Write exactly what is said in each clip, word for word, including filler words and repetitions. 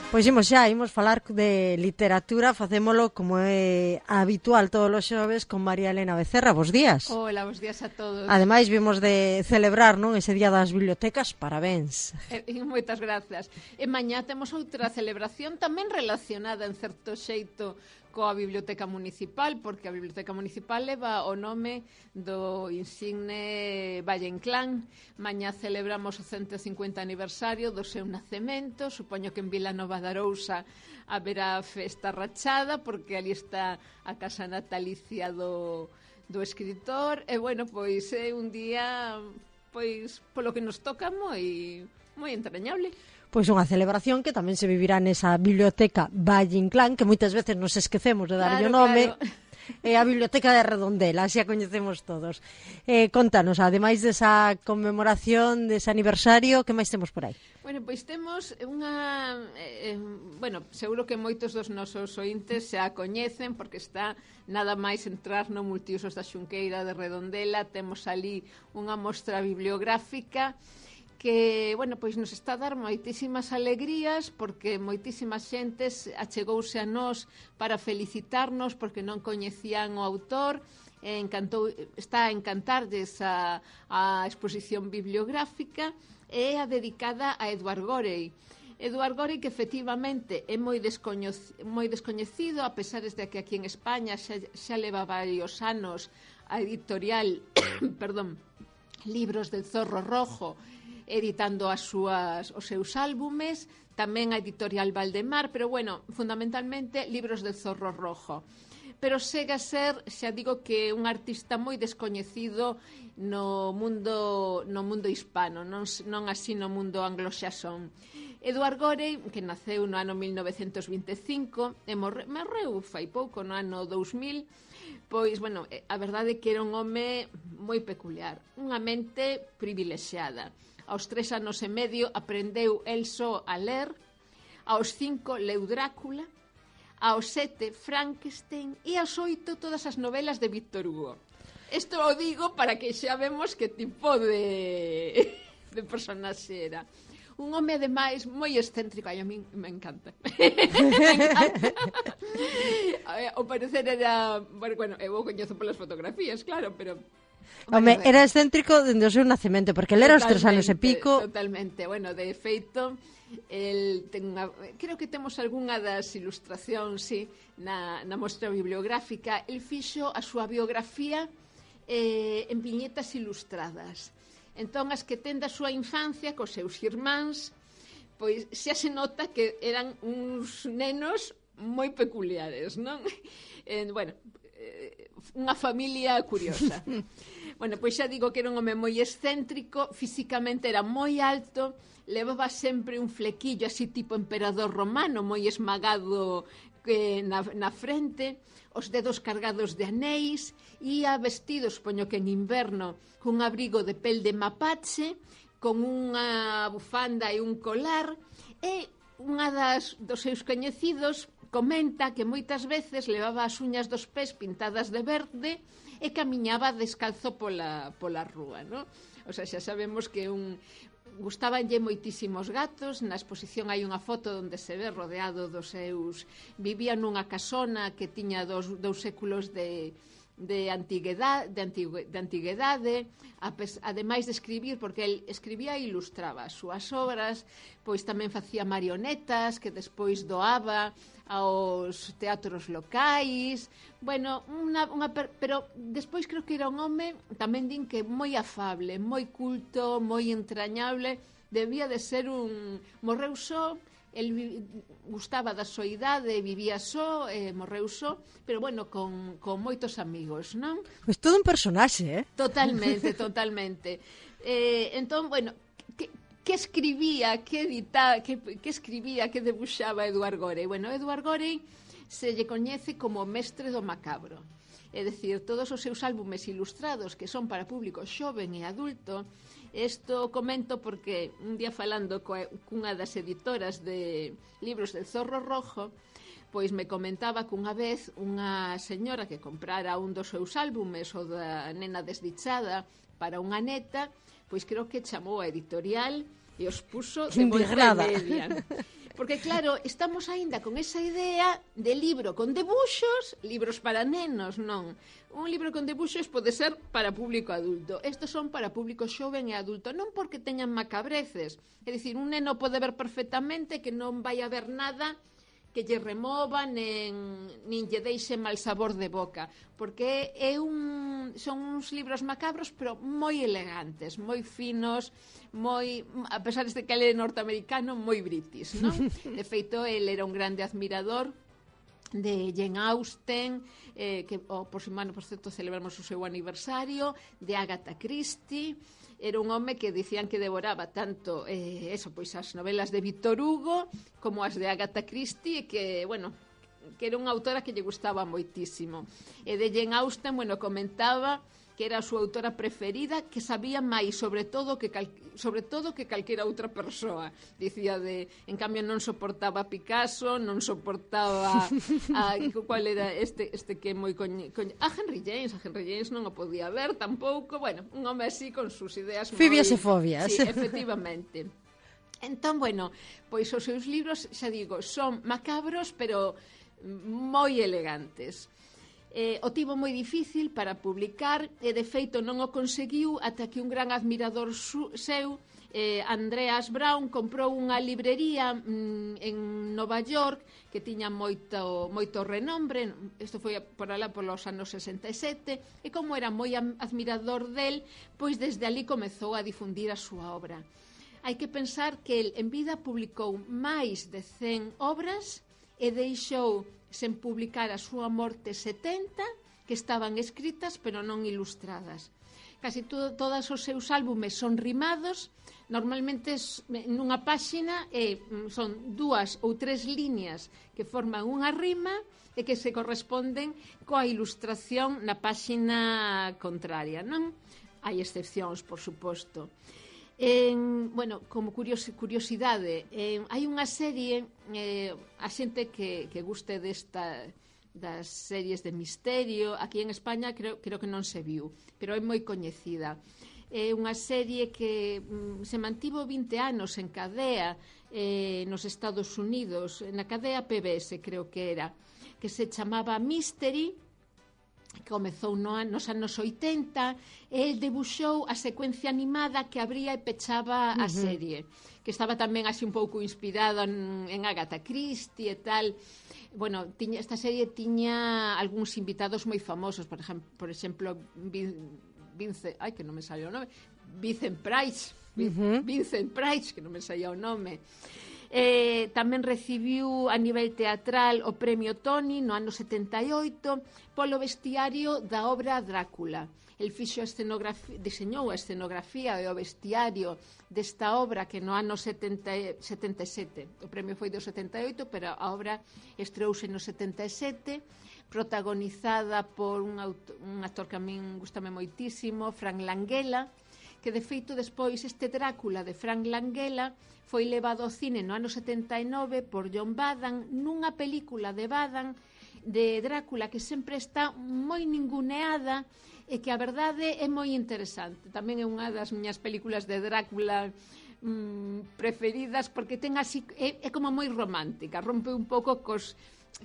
Pois imos xa, imos falar de literatura, facémolo como é habitual todos os xoves con María Elena Becerra. Bos días. Hola, bos días a todos. Ademais, vimos de celebrar, non, ese día das bibliotecas, parabéns. E, e moitas grazas. E mañá temos outra celebración tamén relacionada en certo xeito coa Biblioteca Municipal, porque a Biblioteca Municipal leva o nome do insigne Valle Inclán. Mañá celebramos o ciento cincuenta aniversario do seu nacemento. Supoño que en Vilanova de Arousa haberá festa rachada, porque ali está a casa natalicia do, do escritor. E, bueno, pois é un día, pois, polo que nos toca moi, moi entrañable. Pois unha celebración que tamén se vivirá nesa biblioteca Valle Inclán, que moitas veces nos esquecemos de darlle o Claro, nome. claro. É a biblioteca de Redondela, así a coñecemos todos. Eh, contanos, ademais desa conmemoración, dese aniversario, que máis temos por aí? Bueno, pois temos unha... Eh, bueno, seguro que moitos dos nosos ointes xa a coñecen, porque está nada máis entrar no Multiusos da Xunqueira de Redondela. Temos ali unha mostra bibliográfica que, bueno, pois nos está a dar moitísimas alegrías, porque moitísimas xentes achegouse a nós para felicitarnos porque non coñecían o autor. E encantou, está a encantarlles a, a exposición bibliográfica, e a dedicada a Edward Gorey. Edward Gorey, que efectivamente é moi, descoñecido, moi descoñecido, a pesar de que aquí en España xa, xa leva varios anos a editorial perdón, Libros del Zorro Rojo, editando as súas, os seus álbumes, tamén a editorial Valdemar, pero, bueno, fundamentalmente Libros del Zorro Rojo. Pero segue a ser, xa digo, que un artista moi descoñecido no mundo, no mundo hispano, non, non así no mundo angloxasón. Edward Gorey, que naceu no ano mil novecentos vinte e cinco, e morre, morreu fai pouco, no ano dous mil, pois, bueno, a verdade é que era un home moi peculiar, unha mente privilexiada. Aos tres anos e medio aprendeu el só a ler, aos cinco leu Drácula, aos sete Frankenstein e aos oito todas as novelas de Víctor Hugo. Isto o digo para que xa vemos que tipo de, de personaxe era. Un home, ademais, moi excéntrico. Ai, a min me encanta. me encanta. O parecer era... Bueno, eu o coñezo polas fotografías, claro, pero... Home, era excéntrico dende o seu nacemento, porque ele era os tres anos e pico. Totalmente, bueno, de feito, el ten unha, creo que temos algunha das ilustracións, sí, na, na mostra bibliográfica. El fixo a súa biografía eh, en viñetas ilustradas. Entón, as que ten da súa infancia, cos seus irmáns, pois xa se nota que eran uns nenos moi peculiares, non? Eh, bueno, eh, unha familia curiosa. Bueno, pois xa digo que era un home moi excéntrico, físicamente era moi alto, levaba sempre un flequillo así tipo emperador romano, moi esmagado eh, na, na frente, os dedos cargados de anéis, ia vestido, supoño que en inverno, cun abrigo de pel de mapache, con unha bufanda e un colar, e unha das, dos seus coñecidos comenta que moitas veces levaba as uñas dos pés pintadas de verde e camiñaba descalzo pola, pola rúa, non? O sea, xa sabemos que un... gustabanlle moitísimos gatos. Na exposición hai unha foto onde se ve rodeado dos seus... Vivía nunha casona que tiña dos, dous séculos de... de antiguedade, de, antigu, de antiguedade, ademais de escribir, porque el escribía e ilustraba as súas obras, pois tamén facía marionetas que despois doaba aos teatros locais. Bueno, unha, unha, pero despois creo que era un home, tamén din que moi afable, moi culto, moi entrañable, debía de ser un... Morreu só, el gustaba da soidade, vivía só, eh, morreu só, pero bueno, con, con moitos amigos, non? Pois todo un personaxe, eh? Totalmente, totalmente. Eh, entón, bueno, que, que escribía, que editaba, que, que escribía, que debuxaba Edward Gorey? Bueno, Edward Gorey se lle coñece como mestre do macabro. É dicir, todos os seus álbumes ilustrados, que son para público xoven e adulto. Isto comento porque un día falando coa, cunha das editoras de Libros del Zorro Rojo, pois me comentaba que unha vez unha señora que comprara un dos seus álbumes, o da Nena Desdichada, para unha neta, pois creo que chamou a editorial e os puxo de volta e media. Porque claro, estamos aínda con esa idea de libro con debuxos, libros para nenos, non. Un libro con debuxos pode ser para público adulto. Estos son para público xoven e adulto, non porque teñan macabreces. É dicir, un neno pode ver perfectamente que non vai a ver nada que lle remova nen, nin lle deixe mal sabor de boca, porque é un, son uns libros macabros pero moi elegantes, moi finos, moi, a pesar de que ele é norteamericano, moi british, non? De feito, ele era un grande admirador de Jane Austen, eh, que oh, por semana, por certo, celebramos o seu aniversario, de Agatha Christie. Era un home que dicían que devoraba tanto eh, eso, pois as novelas de Victor Hugo como as de Agatha Christie, e que, bueno, que era unha autora que lle gustaba moitísimo. E de Jane Austen, bueno, comentaba que era a súa autora preferida, que sabía máis sobre todo que cal, sobre todo que calquera outra persoa. Dicía de, en cambio non soportaba a Picasso, non soportaba a, cual era este este que é moi coñe, coñe, a Henry James, a Henry James non o podía ver tampouco, bueno, un home así con sus ideas moi... Fibias e fobias. Sí, efectivamente. Entón, bueno, pois os seus libros, xa digo, son macabros, pero moi elegantes. Eh, o tivo moi difícil para publicar e de feito non o conseguiu ata que un gran admirador su, seu, eh, Andreas Brown, comprou unha librería mm, en Nova York que tiña moito, moito renombre. Isto foi por alá polos anos sesenta e sete, e como era moi admirador del, pois desde ali comezou a difundir a súa obra. Hai que pensar que el en vida publicou máis de cen obras e deixou sen publicar a súa morte setenta que estaban escritas pero non ilustradas. Casi to, todos os seus álbumes son rimados, normalmente nunha páxina e son dúas ou tres líneas que forman unha rima e que se corresponden coa ilustración na páxina contraria, non? Hai excepcións, por suposto. En, bueno, como curiosi, curiosidade, eh, hai unha serie, eh, a xente que, que guste desta, das series de misterio, aquí en España creo, creo que non se viu, pero é moi coñecida. É unha serie que mm, se mantivo vinte anos en cadea eh, nos Estados Unidos, na cadea P B S creo que era, que se chamaba Mystery, que comezou no, nos anos oitenta, e el debuxou a secuencia animada que abría e pechaba a uh-huh. serie, que estaba tamén así un pouco inspirada en, en Agatha Christie e tal. Bueno, tiña, esta serie tiña algúns invitados moi famosos, por exemplo, por exemplo Vince, ai, que non me sale o nome, Vincent Price, uh-huh. Vincent Price, que non me saía o nome. Eh, tamén recibiu a nivel teatral o premio Tony no ano setenta e oito polo vestiario da obra Drácula. El fixo a escenografía, diseñou a escenografía e o vestiario desta obra que no ano setenta, setenta e sete, o premio foi do setenta e oito, pero a obra estreouse no setenta e sete, protagonizada por un, auto, un actor que a min gustame moitísimo, Frank Langella, que de feito despois este Drácula de Frank Langella foi levado ao cine no ano setenta e nove por John Badham nunha película de Badham de Drácula que sempre está moi ninguneada e que a verdade é moi interesante. Tamén é unha das miñas películas de Drácula mmm, preferidas porque ten así, é, é como moi romántica, rompe un pouco cos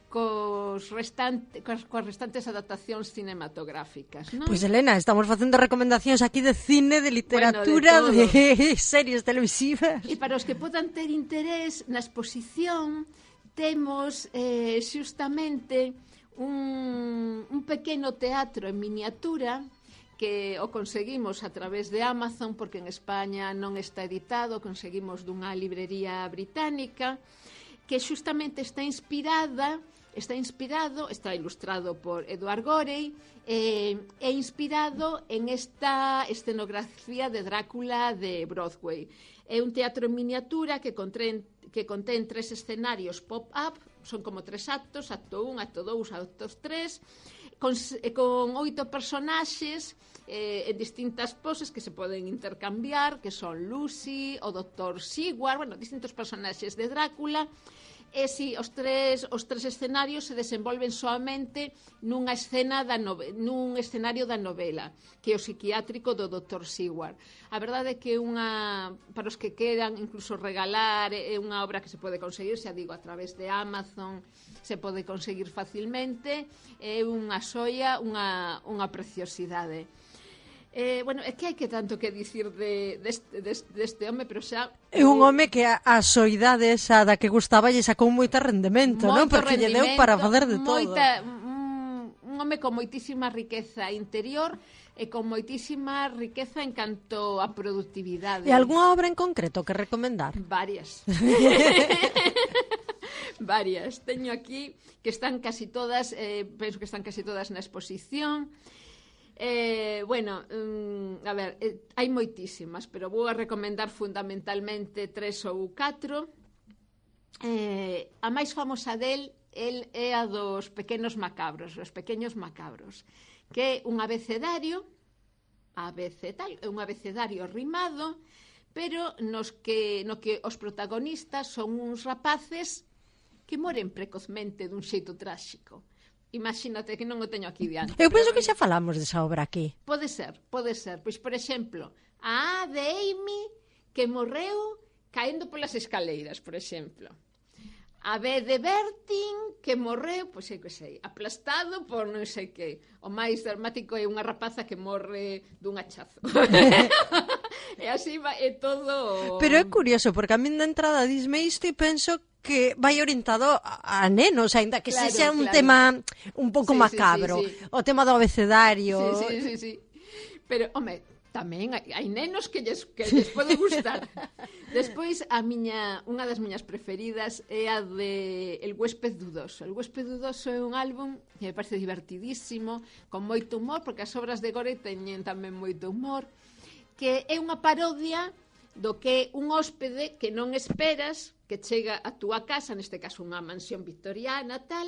cos restante, cos, cos restantes adaptacións cinematográficas, non? Pois, pues, Elena, estamos facendo recomendacións aquí de cine, de literatura, bueno, de, de series televisivas. E para os que podan ter interés na exposición temos eh, xustamente un, un pequeno teatro en miniatura que o conseguimos a través de Amazon, porque en España non está editado, conseguimos dunha librería británica, que xustamente está inspirada, está inspirado, está ilustrado por Edward Gorey, eh, e inspirado en esta escenografía de Drácula de Broadway. É un teatro en miniatura que contén, que contén tres escenarios pop-up, son como tres actos, acto un, acto dous, acto tres, con, con oito personaxes eh, en distintas poses que se poden intercambiar, que son Lucy, o doctor Sigward, bueno, distintos personaxes de Drácula, E si os tres os tres escenarios se desenvolven soamente nunha escena da nove, nun escenario da novela, que é o psiquiátrico do doutor Seward. A verdade é que unha, para os que queran incluso regalar, é unha obra que se pode conseguir, xa digo, a través de Amazon, se pode conseguir facilmente, é unha xoia, unha, unha preciosidade. Eh, bueno, é que hai que tanto que dicir de, deste, deste, deste home, pero xa... É un home que a, a soidade esa da que gustaba lle sacou moito rendemento, non? Porque lle deu para fazer de moita, todo. Un, un home con moitísima riqueza interior e con moitísima riqueza en canto a productividade. E algunha obra en concreto que recomendar? Varias. Varias. Teño aquí que están casi todas, eh, penso que están casi todas na exposición. Eh, bueno, um, a ver, eh, hai moitísimas, pero vou a recomendar fundamentalmente tres ou catro. Eh, a máis famosa del, el é a dos pequenos macabros, os pequeños macabros, que é un abecedario, abece tal, é un abecedario rimado, pero nos que, no que os protagonistas son uns rapaces que moren precozmente dun xeito tráxico. Imagínate que non o teño aquí diante. Eu penso que xa falamos desa obra aquí. Pode ser, pode ser. Pois, por exemplo, a A de Amy que morreu caendo polas escaleiras, por exemplo. A B de Bertin que morreu, pois sei que sei, aplastado por non sei que. O máis dramático é unha rapaza que morre dun hachazo. E así va, é todo... Pero é curioso, porque a min de entrada disme isto e penso que vai orientado a, a nenos, ainda que claro, sexa un claro. tema un pouco sí, macabro, sí, sí, sí. O tema do abecedario. Sí, sí, sí, sí. Pero, home, tamén hai, hai nenos que lles, que lles pode gustar. Despois, a miña, unha das miñas preferidas é a de El huésped dudoso. El huésped dudoso é un álbum que me parece divertidísimo, con moito humor, porque as obras de Gore teñen tamén moito humor, que é unha parodia do que é un hóspede que non esperas, que chega a túa casa, neste caso unha mansión victoriana, tal,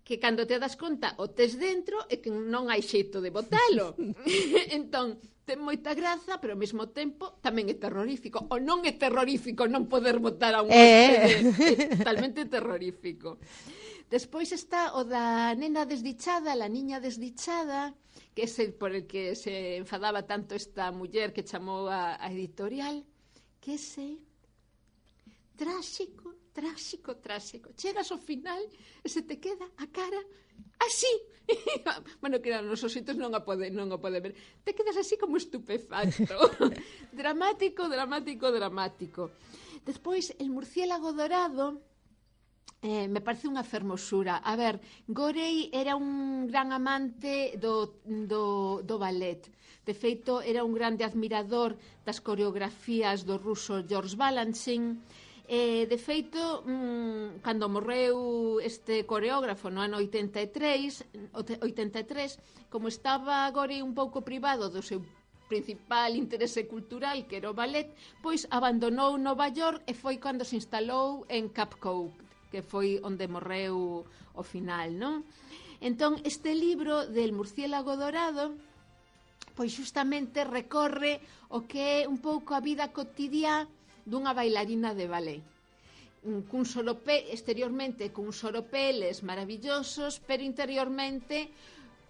que cando te das conta o tes dentro e que non hai xeito de botalo. Entón, ten moita graza, pero ao mesmo tempo tamén é terrorífico. O non é terrorífico non poder botar a un hóspede, é totalmente terrorífico. Despois está o da nena desdichada, la niña desdichada, que é ese por el que se enfadaba tanto esta muller que chamou a, a editorial, que ese tráxico, tráxico, tráxico. Chegas ao final e se te queda a cara así. Bueno, que nos ositos non a pode, non o pode ver. Te quedas así como estupefacto. Dramático, dramático, dramático. Despois, el murciélago dorado, eh, me parece unha fermosura. A ver, Gorey era un gran amante do, do, do ballet. De feito, era un grande admirador das coreografías do ruso George Balanchine. Eh, de feito, mmm, cando morreu este coreógrafo no ano oitenta e tres, oitenta e tres, como estaba Gorey un pouco privado do seu principal interese cultural, que era o ballet, pois abandonou Nova York e foi cando se instalou en Cap Cove, que foi onde morreu ao final, non? Entón, este libro del murciélago dorado, pois justamente recorre o que é un pouco a vida cotidiá dunha bailarina de ballet. Cun sorope, exteriormente cun soropeles maravillosos, pero interiormente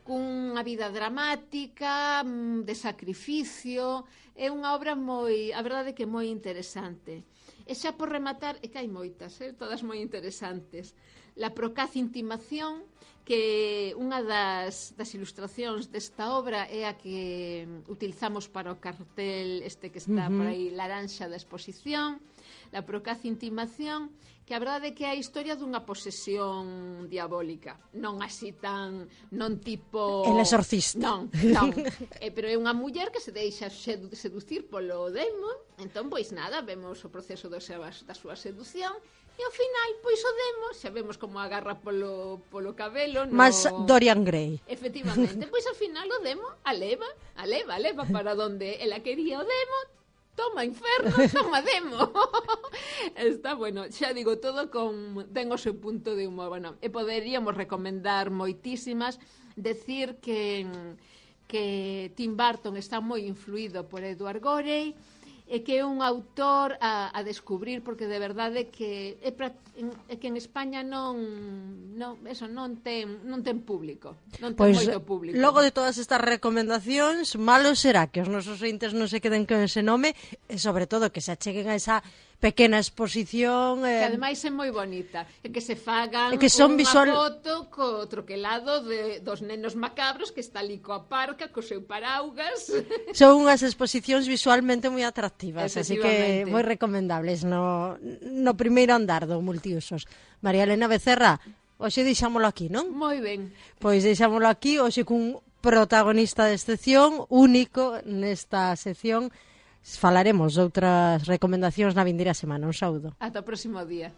cunha vida dramática, de sacrificio. É unha obra moi, a verdade que moi interesante. E xa por rematar, é que hai moitas, eh? Todas moi interesantes. La procaz intimación, que unha das, das ilustracións desta obra é a que utilizamos para o cartel este que está uh-huh. por aí, laranxa da exposición, La procaz intimación, que a verdade é que é a historia dunha posesión diabólica, non así tan, non tipo... El exorcista. Non, non, eh, pero é unha muller que se deixa sedu- seducir polo demo, entón, pois nada, vemos o proceso do seu, da súa seducción. E ao final, pois o demo, xa vemos como agarra polo, polo cabelo no... Mas Dorian Gray. Efectivamente, pois ao final o demo aleva, aleva, aleva para donde ela quería o demo. Toma inferno, toma demo. Está bueno, xa digo, todo con ten o seu punto de humor. Bueno, e poderíamos recomendar moitísimas, decir que que Tim Burton está moi influído por Edward Gorey. e que é un autor a, a descubrir, porque de verdade que é, pra, en, é que en España non, non eso non ten non ten público, non ten pois, moito público. Logo de todas estas recomendacións, malo será que os nosos ointes non se queden con ese nome e sobre todo que se acheguen a esa pequena exposición eh, que ademais é moi bonita e que se fagan que son unha visual... foto co troquelado de, dos nenos macabros que está ali coa parca co seu paraugas. Son unhas exposicións visualmente moi atractivas, así que moi recomendables no, no primeiro andar do Multiusos. María Elena Becerra, hoxe deixámolo aquí, non? Moi ben. Pois deixámolo aquí, hoxe cun protagonista de excepción, único nesta sección. Falaremos de outras recomendacións na vindeira semana. Un saúdo. Ata o próximo día.